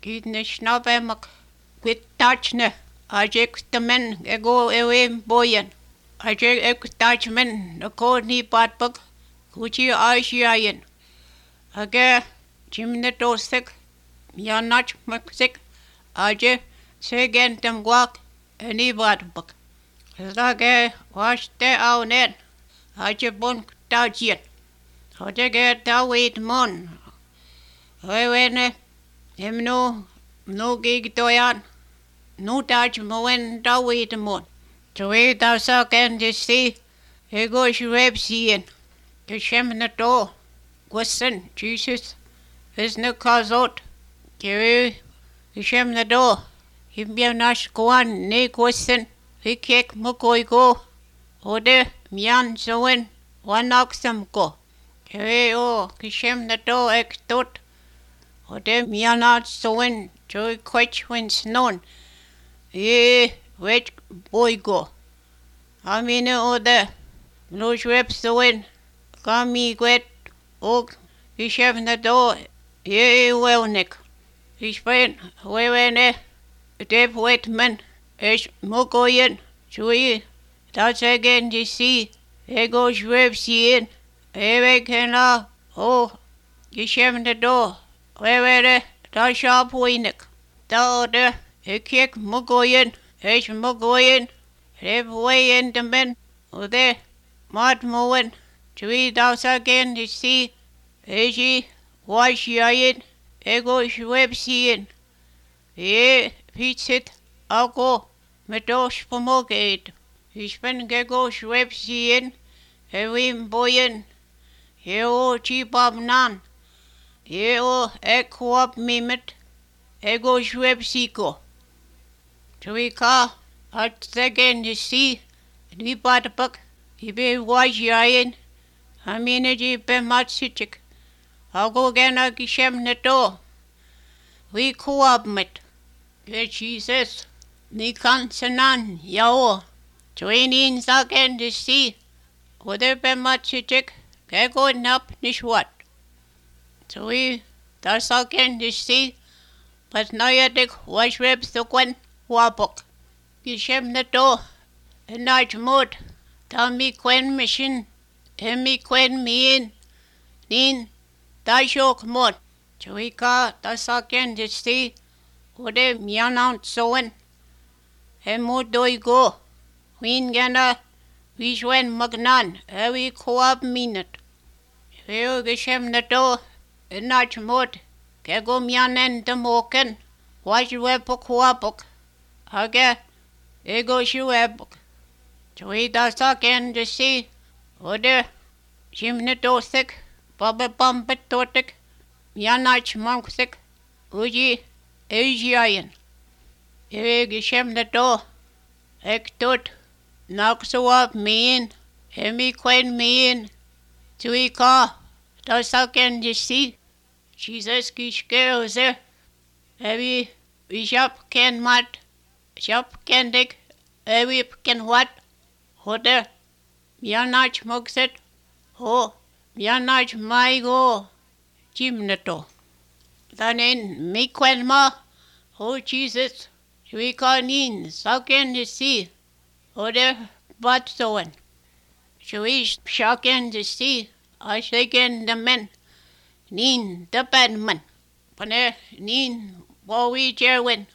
Kidne snabemak quitachne. Ajek the men ego away boyen. Ajek ekutachman the code ni patbuk. Kuchi Aishiayan. Aga Jimne Dosik. Yanach Maksik. Aje Segen them guak. Any badbuk. Zage wash te out net. Aje bon tajian. Aje get await mon. Wene him no gig doyan. No touch moen da wait mon. To wait thou suck and to see. He goes reb seeing. The shem na door. Gwasson, Jesus. Is no cause out. Kiri. The shem na door. Him be nash goan ne gwasson. He kick mukoi go. Ode mian zoen. One oxam go. Kiri o. Kishem na door ek tot. Ode mianat zoen. Joy quich when snown. Which boy go? I mean, ode. No reps zoen. Kami gwet. Og. Kishem na door. Well, Nick. He's been. Wene. Dave Whitman. Is mukoyen. Chui. That's again to see. Ego reps in. Eve can la. Oh. Kishem na door. Where da sharp winik. Da ode, kick mugoyen, mugoyen, rev way in the men, ode, mad moen, three dows again to see, wash yayin, ego web seeing. Pizza it, I'll go, medos pomogate. He's been gego web seeing, hewim boyen, heo cheap up nan. Eo equap mimet, ego shwebsiko. Tuika, at second to see, we bought a book, he be wise yayin, I mean it, he be matsichik. I'll go again a gishem neto. We co-op met. Get Jesus, ni kansanan, yao. Twain second to see, whether be matsichik, kego nap nishwat. So that's again to see, but now you take wash reps the quen wapok. Gishem the door, and night mood, tell me quen mission, and me quen me in, nin, da shok mod. So that's again to see, what a mian out soen, and mood do you go. Ween gana, we shwen magnan, we co-op minute. Here gishem the door. Nach mod, kego mianen de moken, wash webok wapok. Aga, ego shwebok. Tui das again to see, ode, shimne dosik, baba bumpet totik, mianach monksik, uji, Asiayan. Gishem the door, ek tot, knock so up me in, hemi quen me in, tui ka, das again to see. Jesus kishke there. Heavy shop can mat. Shop can dig. Heavy can what? Hoder. Mianach mugset. Ho. Mianach my go. Jimneto. Then in me quen ma. Oh Jesus. We can in. Sucken to see. Hoder but soen. Shui shocken to see. I shaken the men. Nin the badman. Pane nin wowie jerwin.